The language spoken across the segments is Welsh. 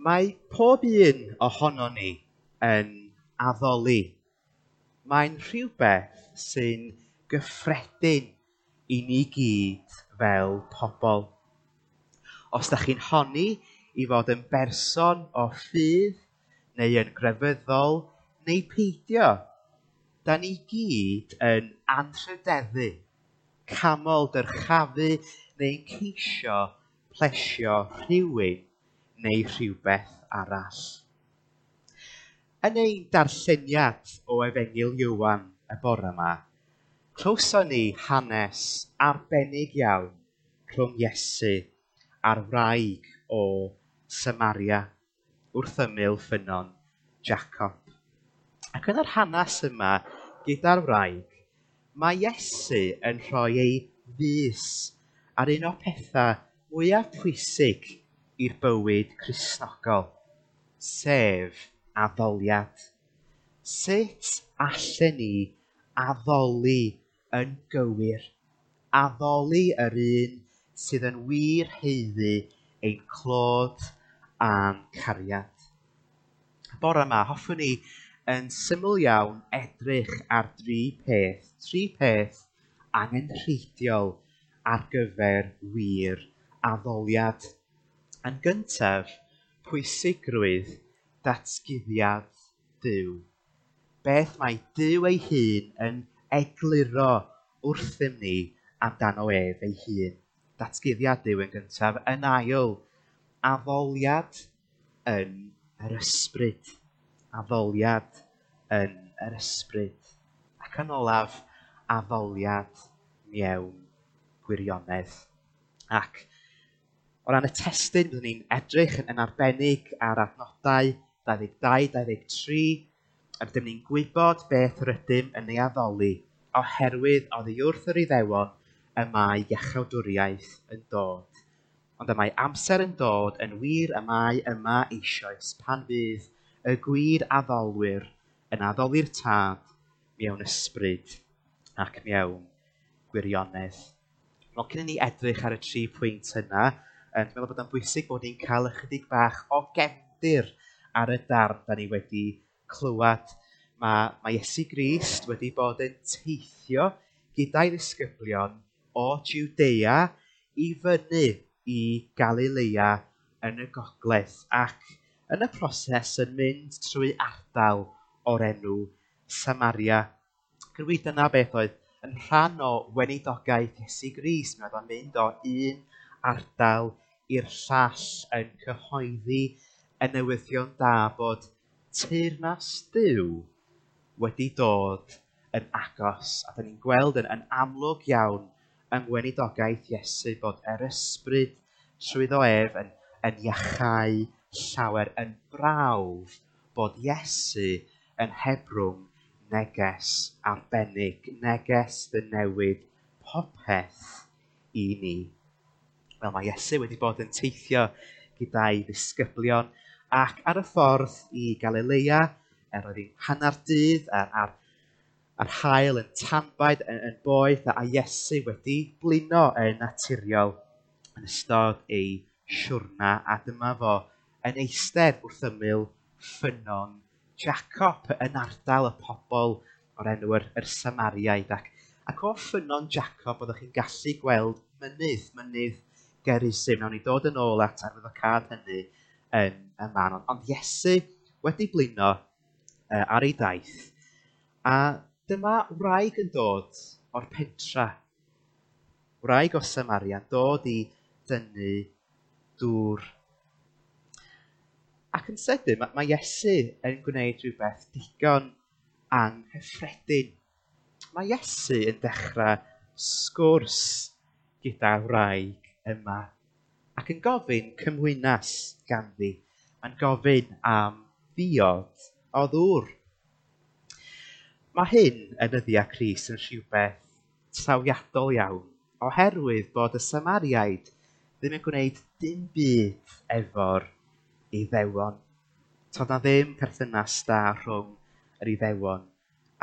Mae pob un ohonon ni yn addoli. Mae'n rhywbeth sy'n gyffredin i ni gyd fel pobl. Os da chi'n honni i fod yn berson o ffydd neu yn grefyddol neu peidio, da ni gyd yn anrhydeddu, camol dyrchafu neu'n ceisio plesio rhywun neu rhywbeth arall. Yn ein darlleniad o Efengyl Ioan y bore yma, clywson ni hanes arbennig iawn rhwng Iesu a'r wraig o Samaria wrth ymyl ffynnon Jacob. Ac yn yr hanes yma gyda'r wraig, mae Iesu yn rhoi ei fys ar un o'r pethau mwyaf pwysig i'r bywyd Cristnogol, sef addoliad. Sut allen ni addoli yn gywir? Addoli yr un sydd yn wir haeddu ein clod a'n cariad. Bore yma, hoffwn i yn syml iawn edrych ar dri peth angenrheidiol ar gyfer wir addoliad. Yn gyntaf, pwysigrwydd datguddiad Duw. Beth mae Duw ei hun yn egluro wrthym ni amdano ef ei hun. Datguddiad Duw yn gyntaf. Yn ail, addoliad yn yr ysbryd. Addoliad yn yr ysbryd. Ac yn olaf, addoliad mewn gwirionedd. Ac o ran y testun, byddwn ni'n edrych yn arbennig ar adnodau 22-23. Rydym ni'n gwybod beth rydym yn ei addoli, oherwydd oddi wrth yr Iddewon y mae iachawdwriaeth yn dod. Ond y mae amser yn dod, yn wir y mae yma eisoes, pan fydd y gwir addolwyr yn addoli'r Tad mewn ysbryd ac mewn gwirionedd. Wel, cyn i ni edrych ar y tri pwynt yna, dwi'n meddwl bod o'n bwysig bod ni'n cael ychydig bach o gefndir ar y darn da ni wedi clywed. Mae Iesu Grist wedi bod yn teithio gyda'i ddisgyblion o Jwdea i fyny i Galilea yn y gogledd, ac yn y proses yn mynd trwy ardal o'r enw Samaria. Ac yn wir, dyna beth oedd yn rhan o weinidogaeth Iesu Grist. Mi oedd o'n mynd o un ardal i'r llall yn cyhoeddi y newyddion da bod teyrnas Duw wedi dod yn agos. A da ni'n gweld yn amlwg iawn yng ngweinidogaeth Iesu bod yr ysbryd trwyddo ef yn iachau llawer, yn brawf bod Iesu yn hebrwng neges arbennig, neges ddynewid popeth i ni. Wel, mae Iesu wedi bod yn teithio gyda'i ddisgyblion ac ar y ffordd i Galilea, er oedd hi'n hanner dydd a'r haul yn tanbaid yn boeth, a Iesu wedi blino yn naturiol yn ystod ei siwrna, a dyma fo yn eistedd wrth ymyl ffynnon Jacob yn ardal y pobl o'r enw yr Samariaid. Ac o ffynnon Jacob oeddech chi'n gallu gweld mynydd Gerizim. Nawn ni dod yn ôl at arwyddocâd hynny yn y man. Ond Iesu wedi blino ar ei daith, a dyma wraig yn dod o'r pentra, wraig o Samaria, yn dod i dynnu dŵr. Ac yn sydyn, mae Iesu yn gwneud rhywbeth digon anghyffredin. Mae Iesu yn dechrau sgwrs gyda'r wraig yma ac yn gofyn cymwynas ganddi. Mae'n gofyn am ddiod o ddŵr. Mae hyn yn nyddiau Crist yn rhywbeth trawiadol iawn, oherwydd bod y Samariaid ddim yn gwneud dim byd efo'r Iddewon. Toedd na ddim perthynas da rhwng yr Iddewon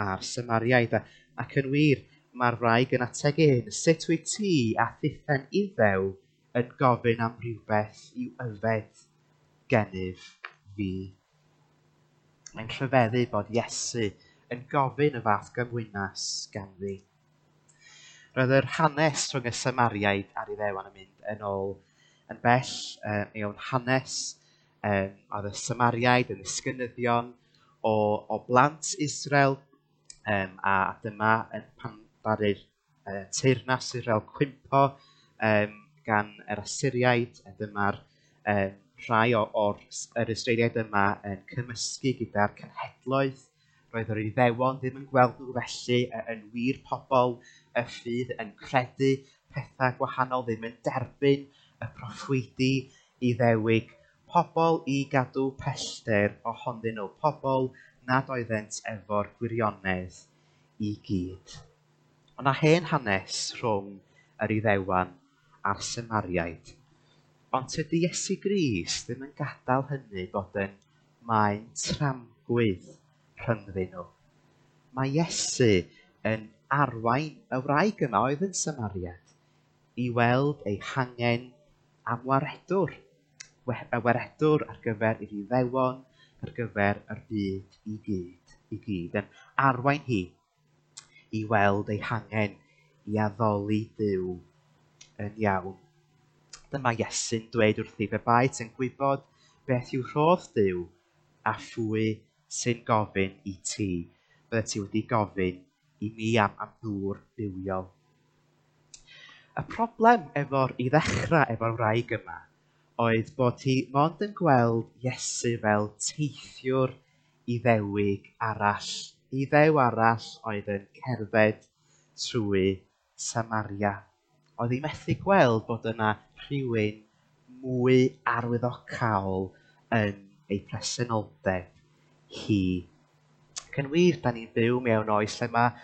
a'r Samariaid. Ac yn wir, mae'r wraig yn ategu hyn, sut wyt ti a thithen Iddew yn gofyn am rhywbeth i'w yfed gennyf fi? Mae'n rhyfeddu bod Iesu yn gofyn y fath gymwynas ganddi. Roedd yr hanes rhwng y Samariaid a'r Iddewon yn mynd yn ôl yn bell mewn hanes. Oedd y Samariaid yn ddisgynyddion o blant Israel, a dyma pan ddaru'r teyrnas Israel cwympo gan yr Asyriaid, a dyma'r rhai o'r yr Israeliaid yma yn cymysgu gyda'r cenhedloedd. Roedd yr Iddewon ddim yn gweld nhw felly yn wir pobl y ffydd, yn credu pethau gwahanol, ddim yn derbyn y proffwydi Iddewig. Pobl i gadw pellter ohonyn nhw, pobl nad oeddent efo'r gwirionedd i gyd. Ond na hen hanes rhwng yr Iddewon a'r Samariaid. Ond tydi Iesu Grist ddim yn gadael hynny bod yn maen tramgwydd rhyngddyn nhw. Mae Iesu yn arwain y wraig yma oedd yn Samariad i weld ei hangen am waredwr, y waredwr ar gyfer yr Iddewon, ar gyfer yr byd i gyd, yn arwain hi i weld ei hangen i addoli Duw yn iawn. Dyma Iesu'n dweud wrthi, pe baet yn gwybod beth yw rhodd Duw a phwy sy'n gofyn i ti, byddet ti wedi gofyn i mi am ddŵr bywiol. Y problem i ddechrau efo'r wraig yma oedd bod hi mond yn gweld Iesu fel teithiwr Iddewig arall, Iddew arall oedd yn cerdded trwy Samaria. Oedd hi methu gweld bod yna rhywun mwy arwyddocaol yn ei presenoldeb hi. Ac yn wir, da ni'n byw mewn oes lle mae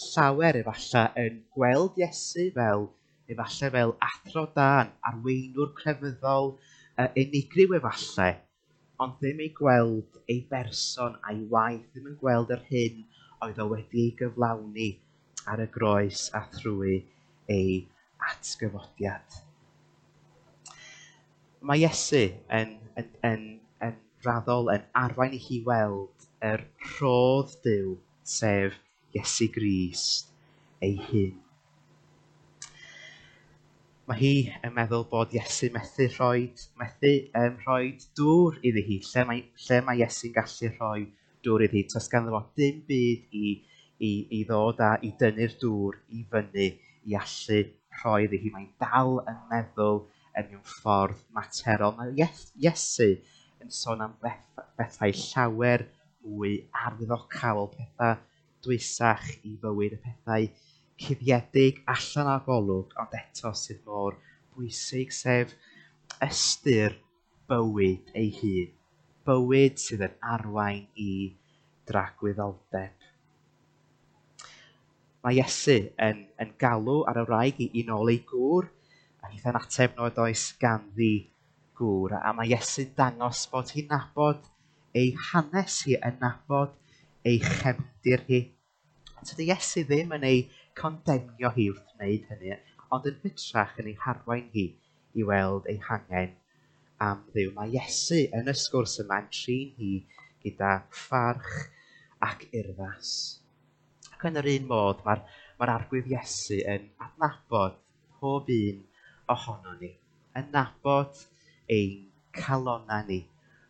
llawer efallai yn gweld Iesu fel efallai fel athro da, arweinwr crefyddol, unigryw efallai, ond ddim ei gweld ei berson a'i waith, ddim yn gweld yr hyn oedd o wedi ei gyflawni ar y groes a thrwy ei atgyfodiad. Mae Iesu yn raddol yn arwain i hi weld yr rhodd Duw, sef Iesu Grist ei hun. Mae hi yn meddwl bod Iesu methu rhoi dŵr iddi hi. Lle mae Iesu'n gallu rhoi dŵr iddi hi? Does ganddo fo dim byd i ddod a i dynnu'r dŵr i fyny i allu rhoi iddi hi. Mae'n dal yn meddwl yn mewn ffordd materol. Mae Iesu yn sôn am bethau llawer mwy arwyddocaol, pethau dwysach i fywyd, y pethau cuddiedig allan o'r golwg, ond eto sydd mor bwysig, sef ystyr bywyd ei hun, bywyd sydd yn arwain i dragwyddoldeb. Mae Iesu yn galw ar y wraig i nôl ei gŵr, a hitha'n ateb nad oes ganddi gŵr, a mae Iesu'n dangos bod hi'n nabod ei hanes hi, yn nabod ei chefndir hi. Tydi Iesu ddim yn ei condemnio hi wrth wneud hynny, ond yn hytrach yn ei harwain hi i weld ei hangen am Dduw. Mae Iesu yn y sgwrs yma yn trin hi gyda pharch ac urddas. Ac yn yr un modd, mae'r Arglwydd Iesu yn adnabod pob un ohonon ni, yn nabod ein calonnau ni,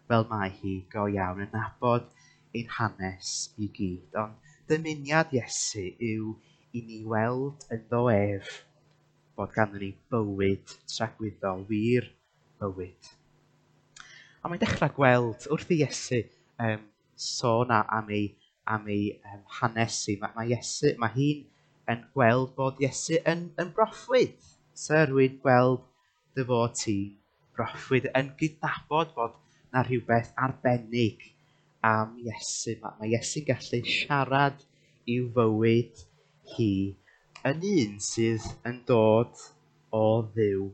fel mae hi go iawn, yn nabod ein hanes i gyd. Ond dymuniad Iesu yw i ni weld ynddo ef bod ganddo ni bywyd tragwyddol, wir bywyd. A mae'n dechrau gweld wrth i Iesu sôn am ei hanes hi. Mae hi'n yn gweld bod Iesu yn broffwyd. Syr, rwy'n gweld dy fod ti'n broffwyd, yn gydnabod bod na rhywbeth arbennig am Iesu. Mae Iesu'n gallu siarad i'w fywyd hi yn un sydd yn dod o Dduw.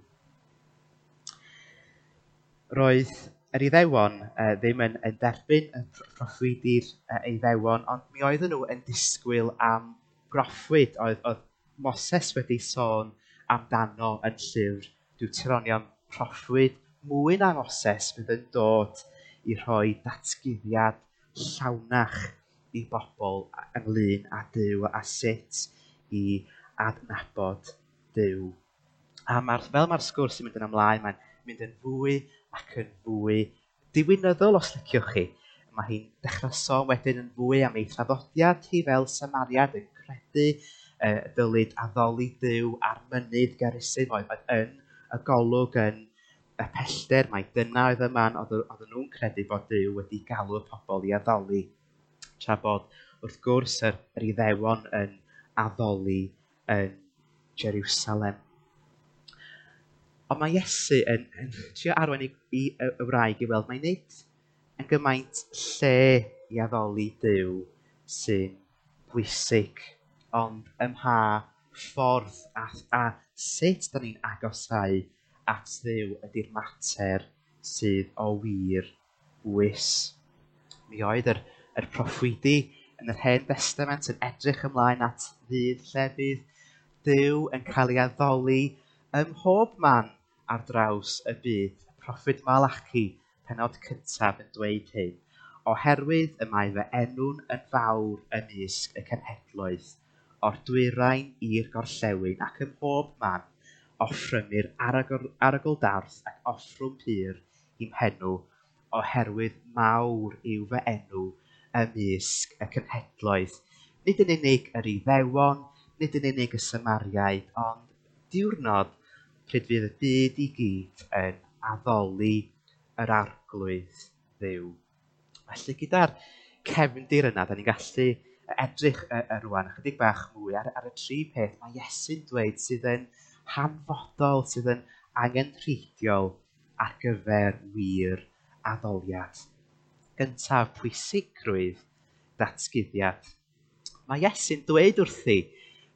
Roedd yr Iddewon ddim yn derbyn y proffwydi'r Iddewon, ond mi oedden nhw yn disgwyl am broffwyd. Oedd Moses wedi sôn amdano yn llyfr Deuteronomion, proffwyd mwy na Moses fydd yn dod i rhoi datguddiad llawnach i bobl ynglyn â Duw a sut i adnabod Duw. A fel mae'r sgwrs yn mynd yn ymlaen, mae'n mynd yn fwy ac yn fwy diwinyddol, os liciwch chi. Mae hi'n dechrau sôn wedyn yn fwy am ei thraddodiad hi fel Samariad yn credu dylid addoli Duw ar mynydd Gerizim oedd yn y golwg yn y pellter, mai dyna oedd y man oedden nhw'n credu bod Duw wedi galw y pobl i addoli. Tra bod, wrth gwrs, yr Iddewon yn addoli yn Jerusalem. Ond mae Iesu yn trio arwain i y wraig i weld mai nid yn gymaint lle i addoli Duw sy'n bwysig, ond ym mha ffordd a sut da ni'n agosáu at Dduw ydy'r mater sydd o wir bwys. Mi oedd yr proffwydi yn yr Hen Destament yn edrych ymlaen at ddydd lle bydd Duw yn cael ei addoli ym mhob man ar draws y byd. Y proffwyd Malachi, pennod cyntaf, yn dweud hyn: oherwydd y mae fy enw'n yn fawr ymysg y cenhedloedd, o'r dwyrain i'r gorllewin ac ym mhob man offrymir arogl darth ac offrwm pur i'm henw, oherwydd mawr yw fy enw ymysg y cenhedloedd. Nid yn unig yr Iddewon, nid yn unig y Samariaid, ond diwrnod pryd fydd y byd i gyd yn addoli yr Arglwydd Dduw. Felly gyda'r cefndir yna, da ni'n gallu edrych rwan ychydig bach mwy ar y tri peth mae Iesu'n dweud sydd yn hanfodol, sydd yn angenrheidiol ar gyfer wir addoliad. Gyntaf, pwysigrwydd datguddiad. Mae Iesu'n dweud wrthi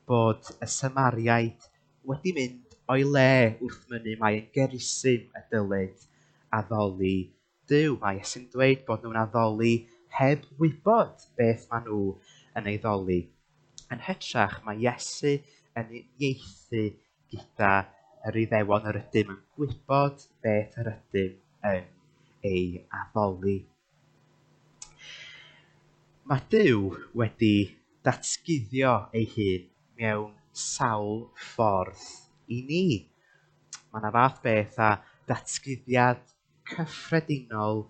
bod y Samariaid wedi mynd o'i le wrth mynnu mai yn Gerizim y dylid addoli Duw. Mae Iesu'n dweud bod nhw'n addoli heb wybod beth maen nhw yn ei ddoli. Yn hytrach, mae Iesu yn uniaethu gyda yr Iddewon yr ydym yn gwybod beth yr ydym yn ei addoli. Mae Duw wedi datguddio ei hun mewn sawl ffordd i ni. Mae yna fath beth â datguddiad cyffredinol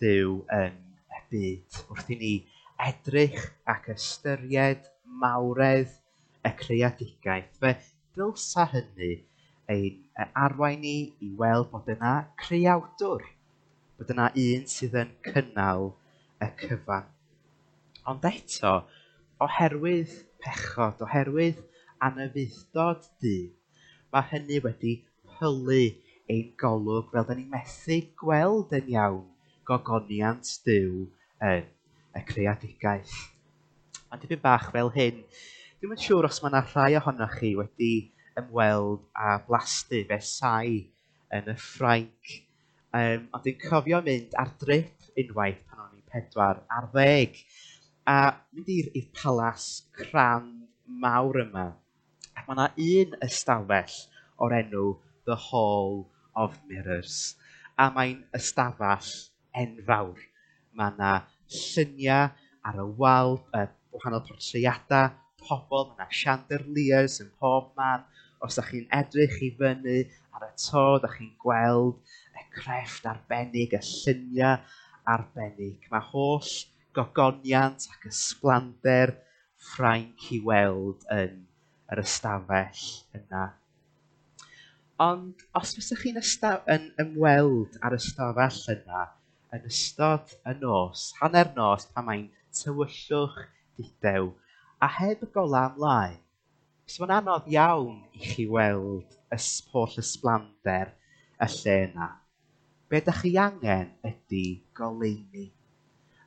Duw yn y byd. Wrth i ni edrych ac ystyried mawredd y creadigaeth, fe dylsa hynny ein arwain ni i weld bod yna creawdwr, bod yna un sydd yn cynnal y cyfan. Ond eto, oherwydd pechod, oherwydd anufudd-dod dyn, mae hynny wedi pylu ein golwg fel da ni'n methu gweld yn iawn gogoniant Duw yn y creadigaeth. Mae'n dipyn bach fel hyn. Dwi'm yn siŵr os mae yna rhai ohonoch chi wedi ymweld â blasty Versailles yn y Ffrainc. Ond dwi'n cofio mynd ar drip unwaith pan o'n i'n 14 a mynd i'r palas crand mawr yma. Ac mae yna un ystafell o'r enw The Hall of Mirrors. A mae'n ystafell enfawr. Mae yna lluniau ar y wal, wahanol portreadau, pobl, mae yna chandeliers yn pob man. Os ydych chi'n edrych i fyny ar y to, ydych chi'n gweld y crefft arbennig, y lluniau arbennig. Mae holl gogoniant ac ysblander Ffrainc i weld yn yr ystafell yna. Ond os fysech chi'n yn ymweld â'r ystafell yna yn ystod y nos, hanner nos, pan mae'n tywyllwch dudew, a heb y golau ymlaen, so mae'n anodd iawn i chi weld holl ysblander y lle yna. Be ydych chi angen ydy goleuni.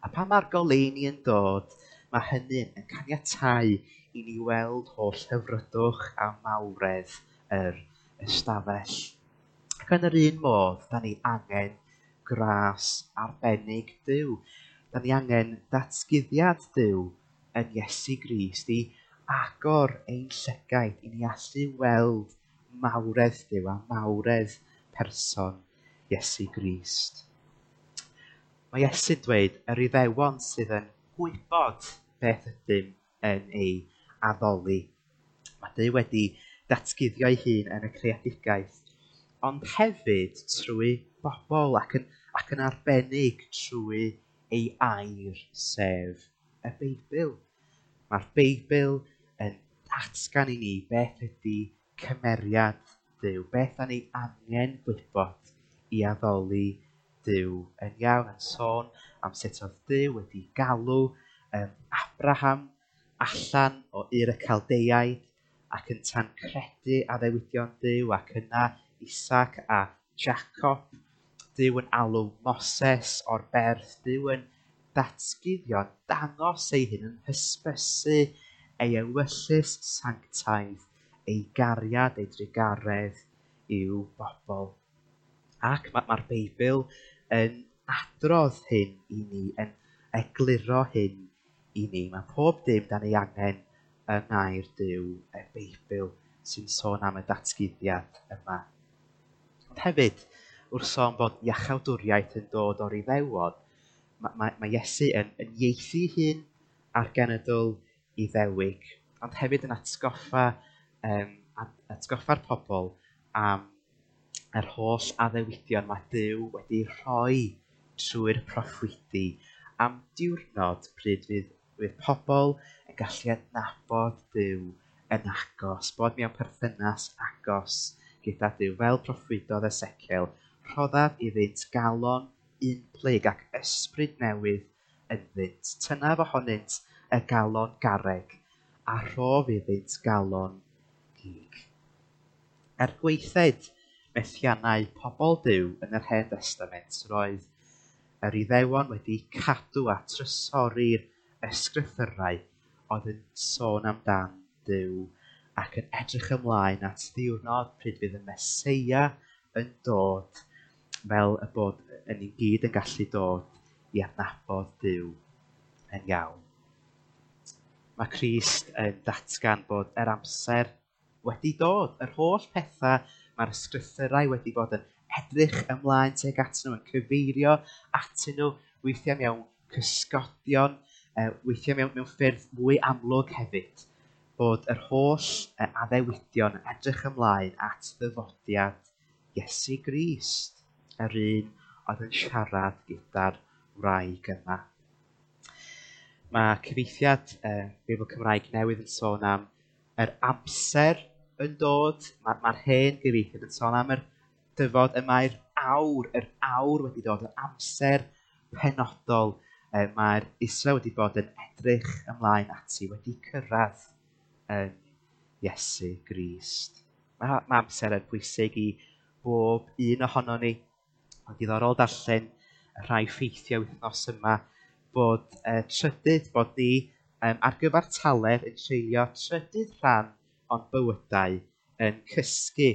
A pan mae'r goleuni yn dod, mae hynny yn caniatáu i ni weld holl hyfrydwch a mawredd yr ystafell. Ac yn yr un modd, da ni angen gras arbennig Duw. Da ni angen datguddiad Duw yn Iesu Grist i agor ein llygaid i ni allu weld mawredd Duw a mawredd person Iesu Grist. Mae Iesu'n dweud yr Iddewon sydd yn gwybod beth ydym yn ei addoli. Mae Duw wedi datguddio ei hun yn y creadigaeth, ond hefyd trwy bobl ac yn arbennig trwy ei air, sef y Beibl. Mae'r Beibl yn datgan i ni beth ydy cymeriad Duw, beth da ni angen gwybod i addoli Duw yn iawn, yn sôn am sut oedd Duw wedi galw Abraham allan o Ur y Caldeiaid ac ynta'n credu addewidion Duw, ac yna Isaac a Jacob. Duw yn alw Moses o'r berth, Duw yn datguddio, dangos ei hun, yn hysbysu ei ewyllys sanctaidd, ei gariad, ei drugaredd i'w bobl. Ac mae'r Beibl yn adrodd hyn i ni, yn egluro hyn i ni. Mae pob dim dan ei angen yng ngair Duw, y Beibl, sy'n sôn am y datguddiad yma. Ond hefyd, wrth sôn bod iachawdwriaeth yn dod o'r Iddewon, mae Iesu yn ieithu hun ar genedl Iddewig, ond hefyd yn atgoffa'r pobl am yr holl addewidion mae Duw wedi rhoi trwy'r proffwydi am diwrnod pryd fydd pobl yn gallu adnabod Duw yn agos, bod mewn perthynas agos gyda Duw, fel proffwydodd Ezekiel, rhoddaf iddynt galon unplyg ac ysbryd newydd ynddynt. Tynnaf ohonynt y galon garreg a rhof iddynt galon gig. Er gwaethed methiannau pobl Duw yn yr Hen Destament, roedd yr Iddewon wedi cadw a trysori'r ysgrythyrau oedd yn sôn amdan Duw ac yn edrych ymlaen at ddiwrnod pryd fydd y Meseia yn dod, fel y bod yn ni gyd yn gallu dod i adnabod Duw yn iawn. Mae Crist yn datgan bod yr amser wedi dod, yr holl pethau mae'r ysgrythyrau wedi bod yn edrych ymlaen tuag atyn nhw, yn cyfeirio atyn nhw, weithiau mewn cysgodion, weithiau mewn ffyrdd mwy amlwg hefyd, bod yr holl addewidion yn edrych ymlaen at ddyfodiad Iesu Grist, yr un oedd yn siarad gyda'r wraig yma. Mae cyfieithiad Beibl Cymraeg Newydd yn sôn am yr amser yn dod. Mae'r hen gyfieithiad yn sôn am yr dyfod y mae'r awr, yr awr wedi dod, yr amser penodol mae'r Israel wedi bod yn edrych ymlaen ati, wedi cyrraedd yn Iesu Grist. Mae amser yn bwysig i bob un ohono ni. Ond diddorol darllen y rhai ffeithiau wythnos yma bod trydydd, bod ni ar gyfartaledd yn treulio trydydd rhan o'n bywydau yn cysgu,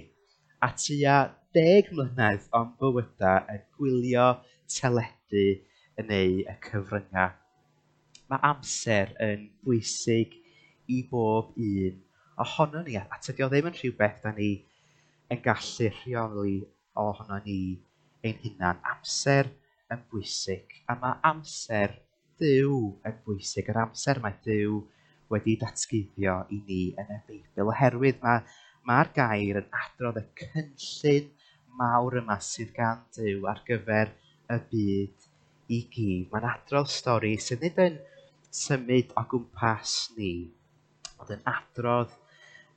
a tua 10 mlynedd o'n bywydau yn gwylio teledu neu y cyfryngau. Mae amser yn bwysig i bob un ohono ni, a tydi o ddim yn rhywbeth da ni yn gallu rheoli ohono ni ein hunan. Amser yn bwysig, a mae amser Duw yn bwysig, yr amser mae Duw wedi datguddio i ni yn y Beibl, oherwydd mae'r gair yn adrodd y cynllun mawr yma sydd gan Duw ar gyfer y byd i gyd. Mae'n adrodd stori sydd nid yn symud o gwmpas ni, ond yn adrodd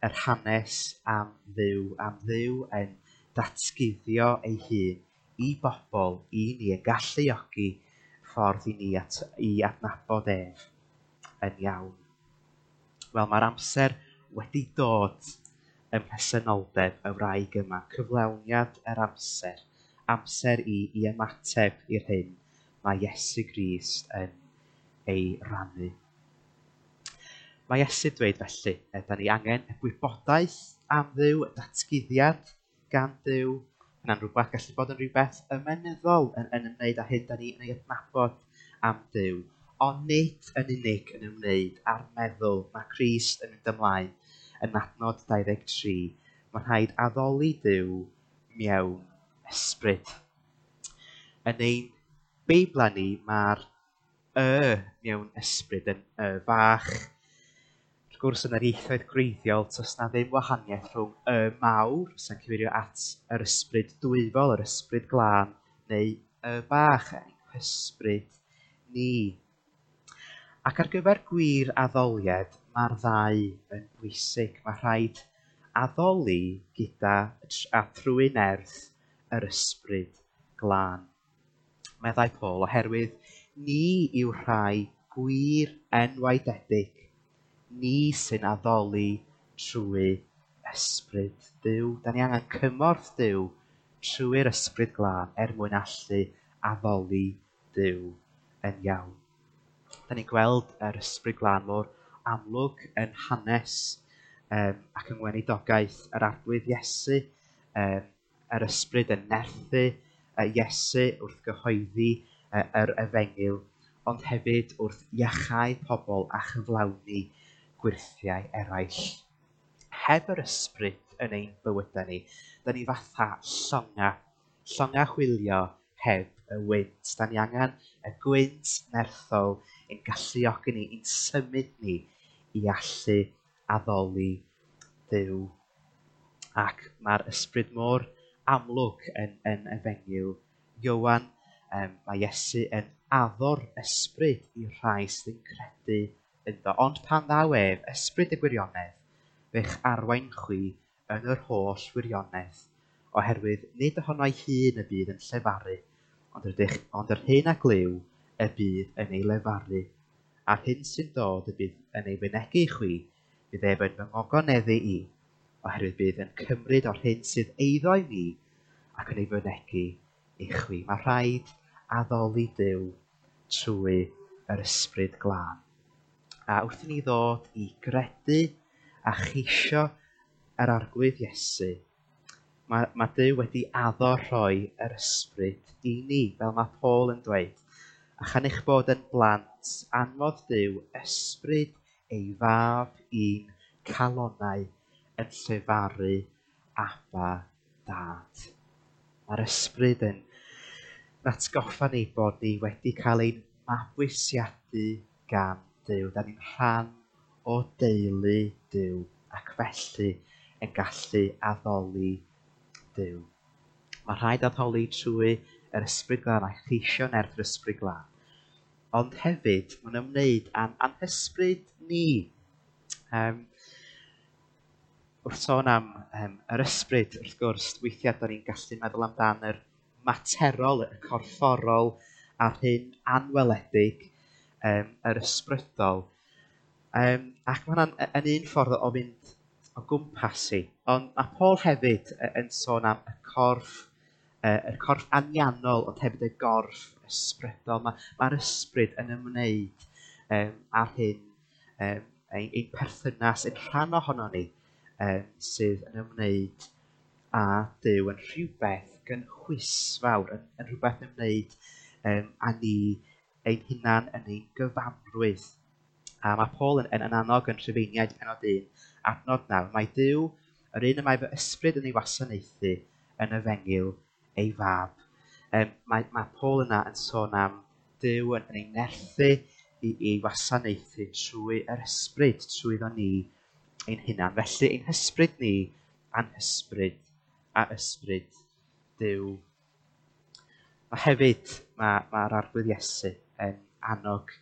yr hanes am Dduw yn datguddio ei hun i bobl, i ni, yn galluogi ffordd i ni i adnabod ef yn iawn. Wel, mae'r amser wedi dod ym mhresenoldeb y wraig yma, cyflawniad yr amser, amser i ymateb i'r hyn mae Iesu Grist yn ei rannu. Mae Iesu dweud felly, da ni angen y gwybodaeth am Dduw, y datguddiad gan Dduw. Yna'n rhywbeth gallu bod yn rhywbeth ymenyddol yn ymwneud â hyn da ni yn ei adnabod am Dduw, ond nid yn unig yn ymwneud â'r meddwl. Mae Crist yn mynd ymlaen yn adnod 23. Mae'n rhaid addoli Duw mewn ysbryd. Yn ein Beiblau ni, mae'r y mewn ysbryd yn y fach. Wrth gwrs, yn yr ieithoedd gwreiddiol, does na ddim wahaniaeth rhwng y mawr, sy'n cyfeirio at yr ysbryd dwyfol, yr ysbryd glân, neu y bach, ein hysbryd ni. Ac ar gyfer gwir addoliad, mae'r ddau yn bwysig. Mae rhaid addoli gyda a thrwy nerth yr ysbryd glân. Meddai Paul, oherwydd ni yw rhai gwir enwaededig, ni sy'n addoli trwy ysbryd Duw. Da ni angen cymorth Duw trwy'r ysbryd glân er mwyn allu addoli Duw yn iawn. Da ni'n gweld yr ysbryd glân mor amlwg yn hanes ac yng ngweinidogaeth yr Arglwydd Iesu, yr ysbryd yn nerthu Iesu wrth gyhoeddi yr efengyl, ond hefyd wrth iachau pobl a chyflawni gwyrthiau eraill. Heb yr ysbryd yn ein bywydau ni, da ni fatha llonga chwilio heb y wynt. Da ni angen y gwynt nerthol ein galluogi ni, ein symud ni i allu addoli Duw. Ac mae'r ysbryd mor amlwg yn efengyl Ioan. Mae Iesu yn addo'r ysbryd i'r rhai sydd yn credu ynddo. Ond pan ddaw ef, ysbryd y gwirionedd, fe'ch arwain chwi yn yr holl wirionedd, oherwydd nid ohono'i hun y bydd yn llefaru, ond yr hyn a glyw y bydd yn ei lefaru, a'r hyn sy'n dod y bydd yn ei fynegi i chwi, bydd ef yn fy ngogoneddu i, oherwydd bydd yn cymryd o'r hyn sydd eiddo i mi ac yn ei fynegi i chwi. Mae rhaid addoli Duw trwy yr ysbryd glân. A wrth i ni ddod i gredu a cheisio yr Arglwydd Iesu, mae Duw wedi addo rhoi yr ysbryd i ni, fel mae Paul yn dweud. A chan eich bod yn blant, anfodd Duw ysbryd ei fab i'n calonnau yn llefaru Abba Dad. Mae'r ysbryd yn atgoffa ni bod ni wedi cael ein mabwysiadu gan Duw. Da ni'n rhan o deulu Duw ac felly yn gallu addoli Duw. Mae rhaid addoli trwy yr ysbryd glân a cheisio nerth yr ysbryd glân. Ond hefyd, mae'n ymwneud â'n anhysbryd ni. Wrth sôn am yr ysbryd, wrth gwrs, weithiau da ni'n gallu meddwl amdan yr materol, y corfforol, a'r hyn anweledig, yr ysbrydol. Ac mae hwnna'n yn un ffordd o fynd o gwmpas i. Ond mae Paul hefyd yn sôn am y corff anianol, ond hefyd y gorff ysbrydol. Mae'r ysbryd yn ymwneud â'r hyn, ein perthynas, ein rhan ohono ni, sydd yn ymwneud â Duw, yn rhywbeth gynhwysfawr, yn rhywbeth yn ymwneud â ni ein hunan yn ein gyfanrwydd. A mae Paul yn annog yn Rhufeiniaid pennod 1, adnod 9, mae Duw, yr un y mae fy ysbryd yn ei wasanaethu yn efengyl ei fab. Mae Paul yna yn sôn am Duw yn ei nerthu i wasanaethu trwy yr ysbryd, trwyddo ni ein hunan. Felly ein hysbryd ni a'n hysbryd a ysbryd Duw. Mae hefyd, mae'r Arglwydd Iesu yn annog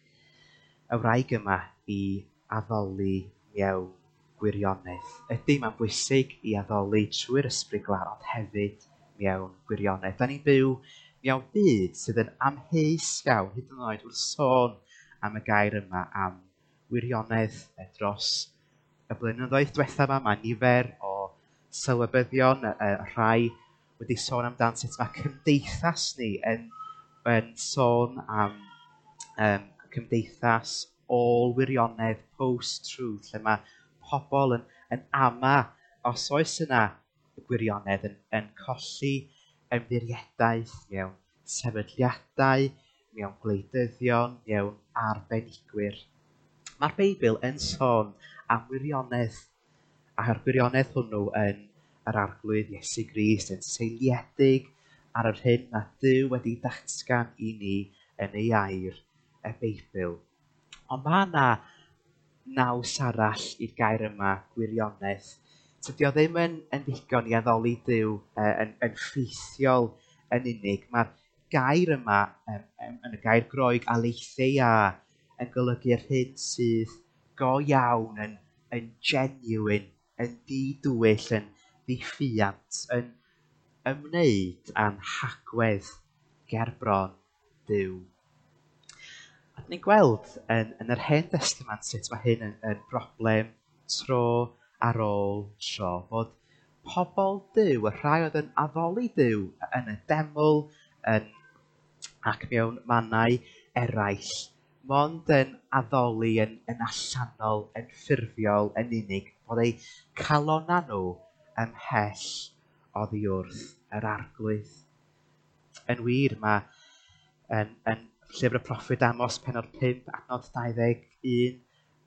y wraig yma i addoli mewn gwirionedd. Ydy, mae'n bwysig i addoli trwy'r ysbryd glân, ond hefyd mewn gwirionedd. Da ni'n byw mewn byd sydd yn amheus iawn, hyd yn oed wrth sôn am y gair yma am wirionedd dros y blynyddoedd diwethaf yma. Mae nifer o sylwebyddion, rhai wedi sôn amdan sut mae cymdeithas ni yn sôn am cymdeithas ôl-wirionedd, post-truth, lle mae pobl yn ama os oes yna gwirionedd yn colli ymddiriedaeth mewn sefydliadau, mewn gwleidyddion, mewn arbenigwyr. Mae'r Beibl yn sôn am wirionedd, a'r gwirionedd hwnnw yn yr Arglwydd Iesu Grist yn seiliedig ar yr hyn mae Duw wedi datgan i ni yn ei air, y Beibl. Ond mae yna naws arall i'r gair yma, gwirionedd. Tydi o ddim yn ddigon i addoli Duw yn ffeithiol yn unig. Mae'r gair yma, yn y gair Groeg aletheia, yn golygu'r hyn sydd go iawn, yn genuine, yn didwyll, yn ddiffuant, yn ymwneud â'n hagwedd ger bron Duw. A dyn ni'n gweld yn yr Hen Destament sut mae hyn yn broblem tro ar ôl tro, fod pobl Duw, y rhai oedd yn addoli Duw yn y deml ac mewn mannau eraill, mond yn addoli yn allanol, yn ffurfiol, yn unig, fod eu calonnau nhw ymhell oddi wrth yr Arglwydd. Yn wir, mae yn llyfr y proffwyd Amos, pennod 5, adnod 21,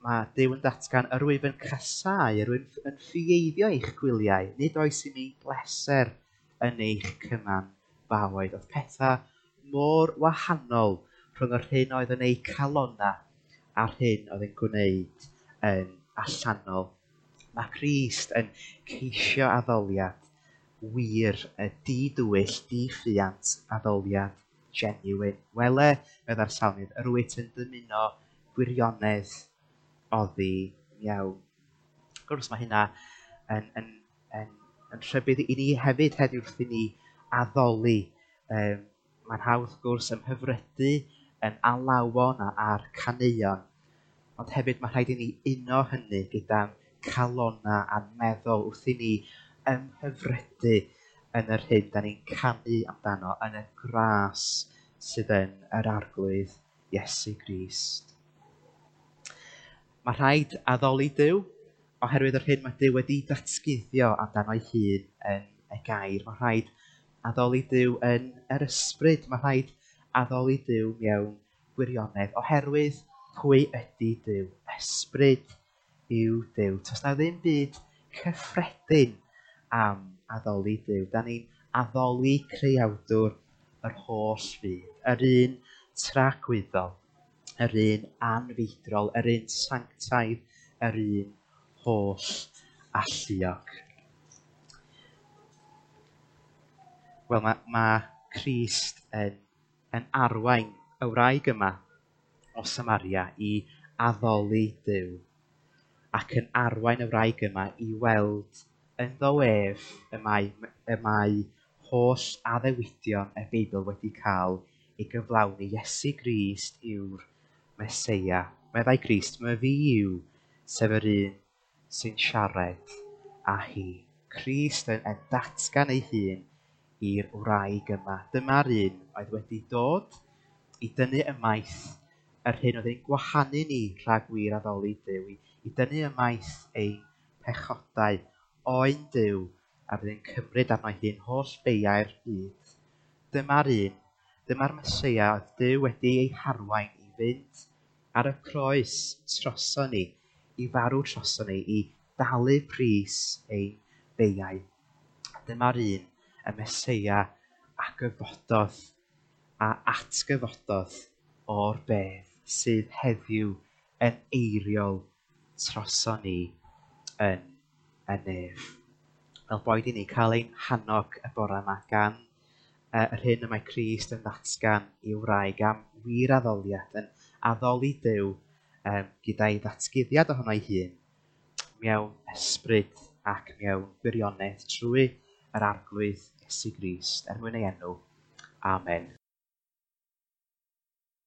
mae Duw yn datgan, yr wyf yn casáu, yr wyf yn ffieiddio eich gwyliau, nid oes i mi bleser yn eich cymanfaoedd. Oedd pethau mor wahanol rhwng yr hyn oedd yn eu calonnau a'r hyn oedd yn gwneud yn allanol. Mae Crist yn ceisio addoliad wir, y didwyll, diffuant addoliad genuine. Wele, meddai'r salmydd, yr wyt yn dymuno gwirionedd oddi mewn. Wrth gwrs, mae hynna yn rhybudd i ni hefyd heddiw wrth i ni addoli. Mae'n hawdd, wrth gwrs, ymhyfrydu yn alawon a'r caneuon, ond hefyd mae rhaid i ni uno hynny gyda'n calonnau a'n meddwl wrth i ni ymhyfrydu yn yr hyn da ni'n canu amdano, yn y gras sydd yn yr Arglwydd Iesu Grist. Mae rhaid addoli Duw oherwydd yr hyn mae Duw wedi datguddio amdano ei hun yn y gair. Mae rhaid addoli Duw yn yr ysbryd. Mae rhaid addoli Duw mewn gwirionedd oherwydd pwy ydy Duw. Ysbryd yw Duw. Does na ddim byd cyffredin am addoli Duw. Da ni'n addoli creawdwr yr holl fyd, yr un tragwyddol, yr un anfeidrol, yr un sanctaidd, yr un holl alluog. Wel, mae Crist yn arwain y wraig yma o Samaria i addoli Duw ac yn arwain y wraig yma i weld ynddo ef y mae holl addewidion y Beibl wedi cael ei gyflawni. Iesu Grist yw'r Meseia. Meddai Crist, my fi yw, sef yr un sy'n siarad â hi. Crist yn datgan ei hun i'r wraig yma. Dyma'r un oedd wedi dod i dynnu ymaith yr hyn oedd ein gwahanu ni rhag wir addoli Duw, i dynnu ymaith ein pechodau, oen Duw a fydd yn cymryd arno ei hun holl beiau'r byd. Dyma'r un, dyma'r Meseia oedd Duw wedi ei harwain i fynd ar y croes troson ni, i farw troson ni, i dalu pris ein beiau. Dyma'r un, y Meseia a gyfododd, a atgyfododd o'r bedd sydd heddiw yn eiriol troson ni yn y nef. Fel boed i ni cael ein hannog y bore yma gan yr hyn y mae Crist yn ddatgan i'w wraig am wir addoliad, yn addoli Duw gyda'i ddatguddiad ohono ei hun mewn ysbryd ac mewn gwirionedd trwy yr Arglwydd Iesu Grist, er mwyn ei enw. Amen.